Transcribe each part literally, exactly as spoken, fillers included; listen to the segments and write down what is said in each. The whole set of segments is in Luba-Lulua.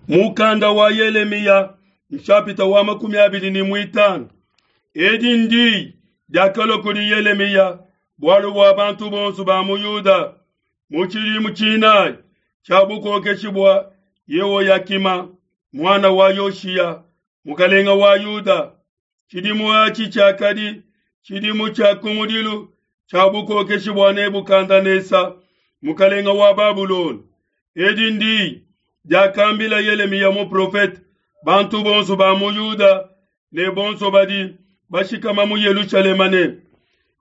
Mukanda wa Yelemiya nshapita wa makumi abidi ne muitanu. Edi ndi diakalua kudi Yelemiya bualu bua bantu bonso ba mu Yuda mu tshidimu tshinayi tshia bukokeshi bua Yehoyakima muana wa Yoshiya mukalenga wa Yuda. Tshidimu atshi tshiakadi tshidimu tshia kumudilu tshia bukokeshi bua Nebukadnesa mukalenga wa Babulona. Edi ndi diakambila Yelemiya muprofete bantu bonso ba mu Yuda ne bonso badi bashikama mu Yelushalema ne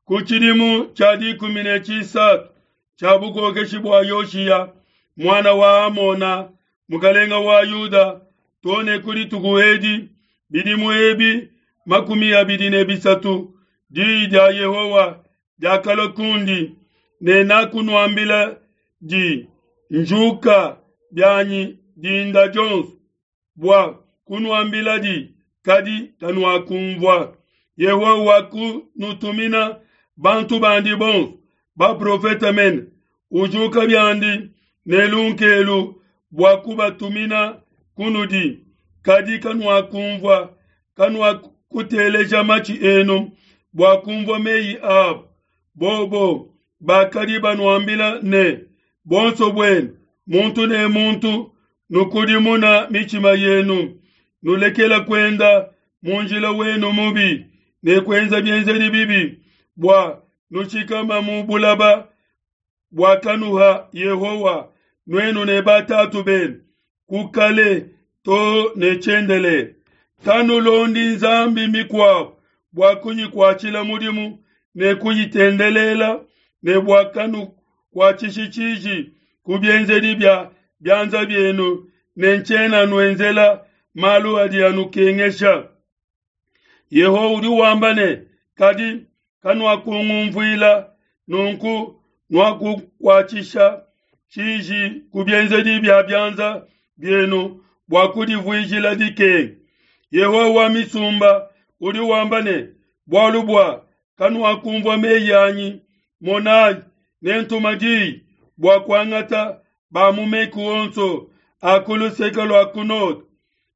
ku tshidimu tshia dikumi ne tshisatu tshia bukokeshi bua Yoshiya muana wa Amona mukalenga wa Yuda too ne ku dituku edi bidimu ebi makumi abidi ne bisatu diyi dia Yehowa diakalua kundi ne nakunuambila di njuka bianyi dinda dionso bua kunuambila di kadi kanuakumvua. Yehowa wakunutumina bantu bandi bonso baprofete mene ujuka biandi ne lunkelu bua kubatumina kunudi kadi kanuakumvua kanuakuteleja matshi enu bua kumvua meyi abo. Bobo bakadi banuambila ne bonso buenu muntu ne muntu nukudimuna mitshima yenu nulekela kuenda mu njila wenu mubi ne kuenza bienzedi bibi bua nushikama mu bulaba buakanuha Yehowa nuenu ne batatu benu ku kale to ne tshiendelele. Kanulondi nzambi mikuabu bua kuyikuatshila mudimu ne kuyitendelela ne bua kanukuatshishi tshiji ku bienzedi bia bianza bienu ne ntshiena nuenzela malu adi anukengesha. Yehowa udi wamba ne kadi kanuakungumvuila nunku nuakukuatshisha tshiji ku bienzedi bia bianza bienu bua kudivuijila dikenga. Yehowa wa misumba udi wamba ne bualu bua kanuakumvua meyi anyi, monayi nentuma diyi bua kuangata ba mu meku onso a ku luseke lua ku node.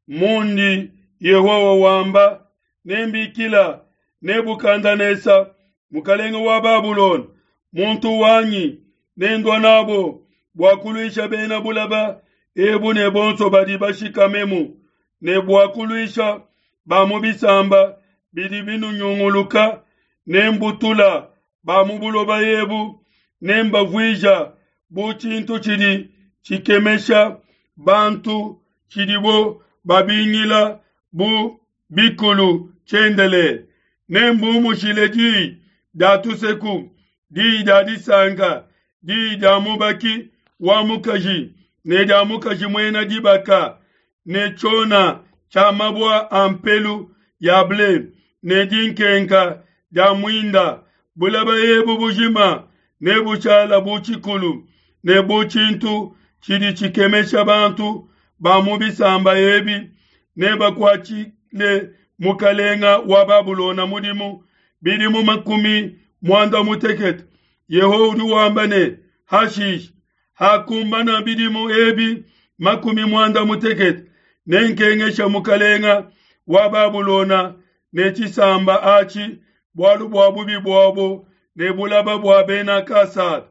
Mundi Yehowa wamba nembikila Nebukadnesa mukalenga wa Babulona muntu wanyi nendua nabo bua kuluisha bena bulaba ebu ne bonso badi bashikamemu ne bua kuluisha ba mu bisamba bidi binunyunguluka nembutula ba mu buloba ebu nembavuija bu tshintu tshidi tshikemesha bantu tshidibo babingila bu bikulu tshiendelele. Nembumushile diyi dia tuseku diyi dia disanka diyi dia mubaki wa mukaji ne dia mukaji muena dibaka ne tshiona tshia mabua a mpelu ya ble ne dinkenka dia muinda. Bulaba ebu bujima nebushala bu tshikulu ne bu tshintu tshidi tshikemesha bantu ba mu bisamba ebi nebakuatshile mukalenga wa Babulona mudimu bidimu makumi muanda mutekete. Yehowa udi wamba ne hashishi hakumbana bidimu ebi makumi muanda mutekete nenkengesha mukalenga wa Babulona ne tshisamba atshi bualu bua bubi buabo ne bulaba bua bena Kasada.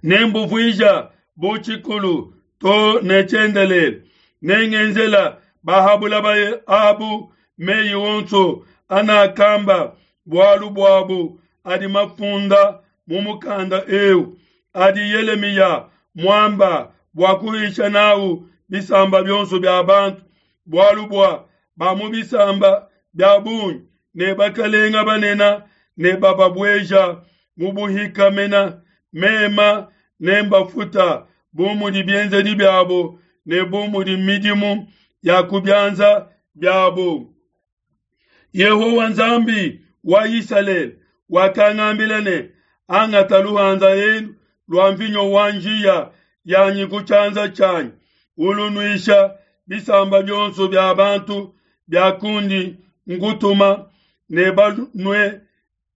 Nembuvuija bu tshikulu to ne tshiendelele. Nengenzela bahabulaba abu meyi onso anakamba bualu buabu adi mafunda mu mukanda eu adi Yelemiya muamba bua kuhisha nawu bisamba bionso bia bantu bualu bua ba mu bisamba bia bungi ne bakalenga banene ne bababueja mu buhika mena mema nembafuta bu mudi bienzedi biabo ne bu mudi midimu ya ku bianza biabo. Yehowa Nzambi wa Isalele wakangambila ne angata luhanza elu lua mvinyo wa njiya yanyi ku tshianza tshianyi ulunuisha bisamba bionso bia bantu bia kundi ngutuma ne banue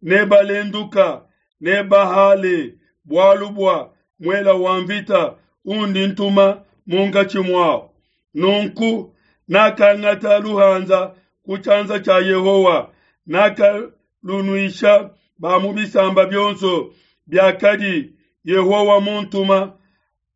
ne balenduka ne bahale bualu bua muela wa mvita undi ntuma munkatshi muabu. Nunku nakangata luhanza ku tshianza tshia Yehowa, nakalunuisha ba mu bisamba bionso biakadi Yehowa muntuma,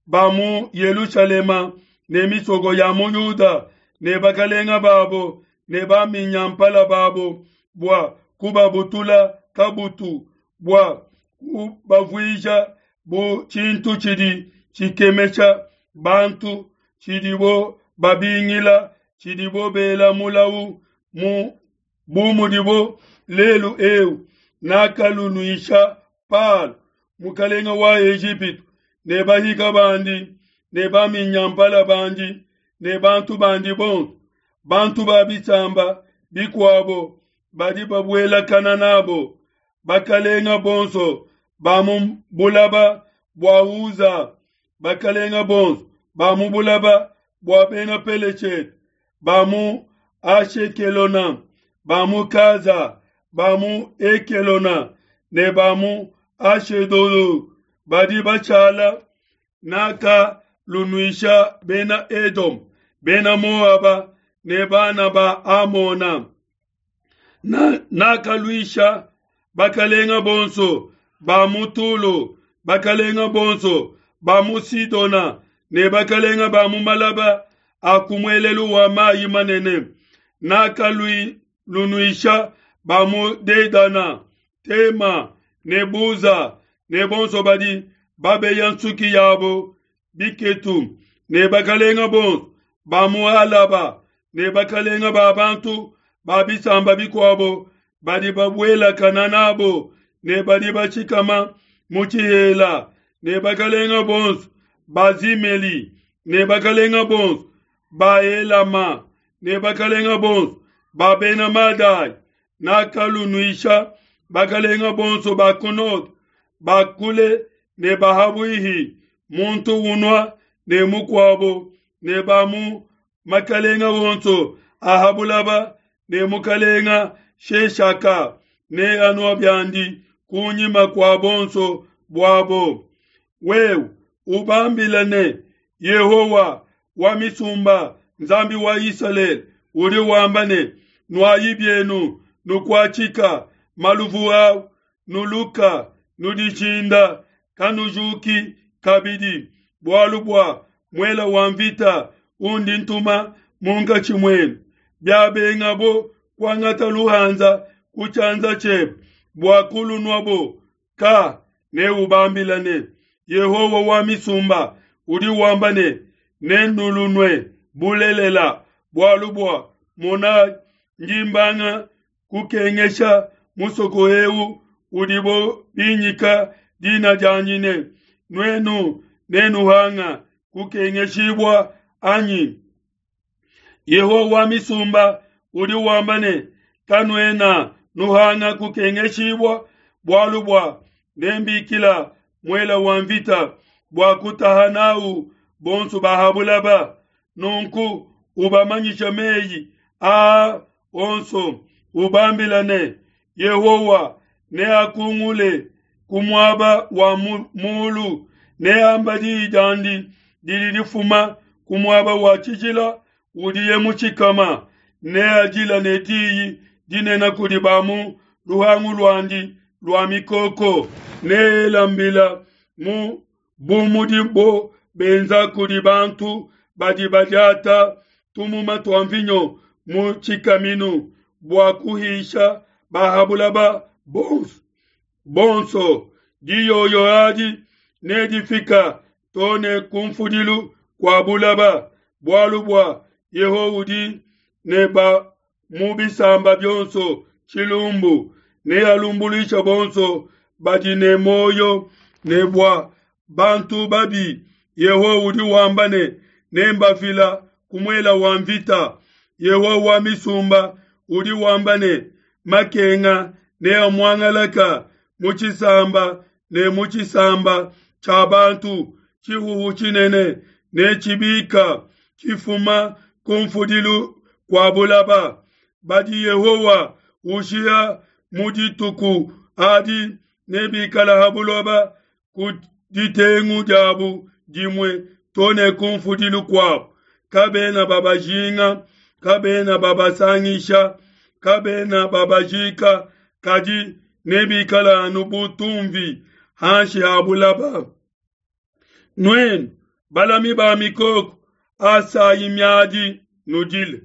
ba mu Yelushalema ne misoko ya mu Yuda ne bakalenga babo ne baminyampala babo bua kubabutula kabutu, bua kubavuija bu tshintu tshidi tshikemesha bantu, tshidibo babingila, tshidibo bela mulawu mu bu mudibo lelu eu. Nakalunuisha Palo, mukalenga wa Ejipitu, ne bahika bandi ne baminyampala bandi ne bantu bandi bonso, bantu ba bisamba bikuabo badi babuelakana nabo, bakalenga bonso ba mu bulaba bua Uza, bakalenga bonso ba mu bulaba bua bena Peleshete, ba mu Ashekelona, ba mu Gaza, ba mu Ekelona ne ba mu Ashedodo badi bashala. Nakalunuisha bena Edom, bena Moaba ne bana ba Amona. Na, nakaluisha bakalenga bonso ba mu Tulo, bakalenga bonso ba mu Sidona ne bakalenga ba mu malaba a ku muelelu wa mayi manene. Nakalunuisha ba mu Dedana, Tema ne Buza ne bonso badi babeya nsuki yabo biketu, ne bakalenga bonso ba mu Alaba ne bakalenga ba bantu ba bisamba bikuabo badi babuelakana nabo ne badi bashikama mu tshihela, ne bakalenga bonso ba Zimeli ne bakalenga bonso ba Elama ne bakalenga bonso ba bena Madai. Nakalunuisha bakalenga bonso ba ku node, ba kule ne ba habuihi, muntu unua ne mukuabo, ne ba mu makalenga wonso a ha bulaba, ne mukalenga Sheshaka ne anua biandi kunyima kua bonso buabo. Wewe ubambila ne, Yehowa wa misumba, Nzambi wa Isalele, udi wamba ne, nuayi bienu, nukuatshika maluvu au, nuluka, nudishinda, kanujuki kabidi, bualu bua muela wa mvita undi ntuma munkatshi muenu. Biabengabo kuangata luhanza ku tshianza tshiebe bua kulunuabo, ka neubambila ne, Yehowa wa misumba udi wamba ne, nenulunue bulelela, bualu bua mona ndi mbanga kukengesha musoko eu udibo binyika dina dianyi ne, nuenu nenuhanga kukengeshibua anyi? Yehowa wa misumba udi wamba ne, kanuena nuhanga kukengeshibua, bualu bua nembikila muela wa mvita bua kutaha nawu bonso ba ha bulaba. Nunku ubamanyisha meyi aa onso, ubambila ne, Yehowa neakungule ku muaba wa mulu, neamba diyi diandi didi difuma ku muaba wa tshijila udiye mutshikama, neadila ne diyi dinene kudi ba mu luhangu luandi lua mikoko, neela mbila mu bu mudibo benza kudi bantu badi badiata tumuma tua mvinyo mu tshikaminu bua kuhisha ba ha bulaba bonso. Bonso diyoyo adi nedifika to ne kumfudilu kua bulaba, bualu bua Yehowa udi ne ba mu bisamba bionso tshilumbu, nealumbuluishe bonso badi ne muoyo ne bua bantu babi. Yehowa udi wamba ne, nembafila ku muela wa mvita. Yehowa wa misumba udi wamba ne, makenga neamuangalaka mu tshisamba ne mu tshisamba tshia bantu, tshihuhu tshinene ne tshibika tshifuma ku mfudilu kua bulaba. Badi Yehowa ushiha mu dituku adi nebikala ha buloba ku ditengu diabu dimue to ne ku mfudilu kuabu. Kabena babajinga, kabena babasangisha, kabena babajika, kadi nebikale anu bu tumvi hanshi ha bulaba. Nuenu balami ba mikoko, asayi miadi nudile.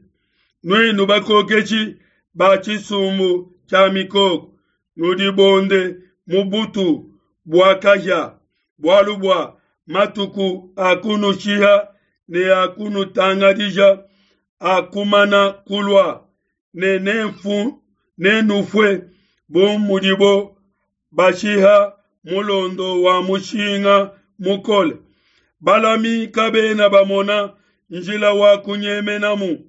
Nuenu bakokeshi ba tshisumbu tshia mikoko, nudibonde mu butu bua kahia, bualu bua matuku a kunushiha ne a kunutangadija akumana kulua, ne nenfu nenufue bu mudibo bashiha mulondo wa mushinga mukole. Balami kabena bamona njila wa kunyemenamu,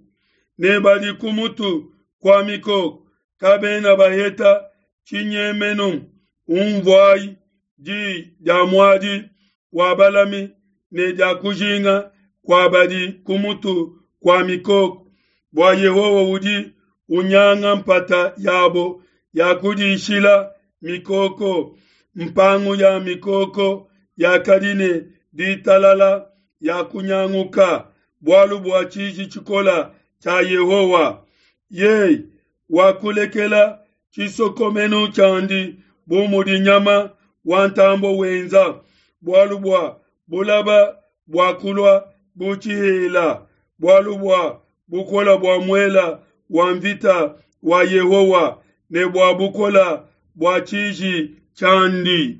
ne badi ku mutu kua mikoko kabena baheta tshinyemenu. Unvuai di dia muadi wa balami ne dia kujinga kua badi ku mutu kua mikoko, bua Yehowa udi unyanga mpata yabo ya kudishila mikoko. Mpangu ya mikoko yakadi ne ditalala yakunyanguka, bualu bua tshiji tshikole tshia Yehowa. Yeye wakulekela tshisokomenu tshiandi bu mudi nyama wa ntambue wenza, bualu bua bulaba buakulua bu tshihela, bualu bua bukole bua muele wa nvita wa Yehowa ne bua bukole bua tshiji tshiandi.